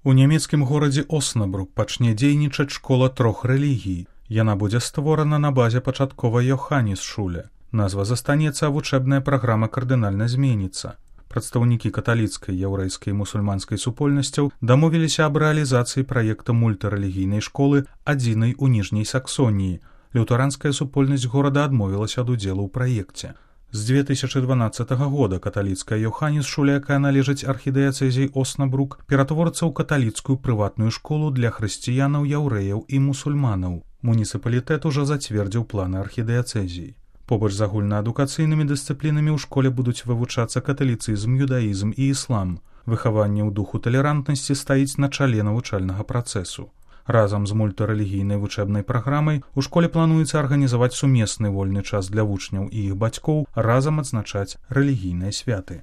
У нямецкім горадзе Оснабрук пачне дзейнічаць школа 3 рэлігій. Яна будзе створана на базе пачатковай Йоханнесшуле. Назва застанецца, а вучэбная праграма кардынальна зменіцца. Прадстаўнікі каталіцкай, яўрэйскай і мусульманскай супольнасцяў дамовіліся аб рэалізацыі праекта мультырэлігійнай школы адзінай у Ніжняй Саксоніі. Лютэранская супольнасць горада адмовілася ад удзелу ў праекце. З 2012 года каталіцкая Йоханнесшуле, якая належыць архідыяцэзіі Оснабрук, ператворыцца ў каталіцкую прыватную школу для хрысціянаў, яўрэяў і мусульманаў. Муніцыпалітэт ужо зацвердзіў планы архідыяцэзіі. Побач з агульнаадукацыйнымі дысцыплінамі ў школе будуць вывучацца каталіцызм, юдаізм і іслам. Выхаванне ў духу талерантнасці стаіць на чале навучальнага працэсу. Разам з мультырэлігійнай вучэбнай праграмай у школе плануецца арганізаваць сумесны вольны час для вучняў і іх бацькоў, разам адзначаць рэлігійныя святы.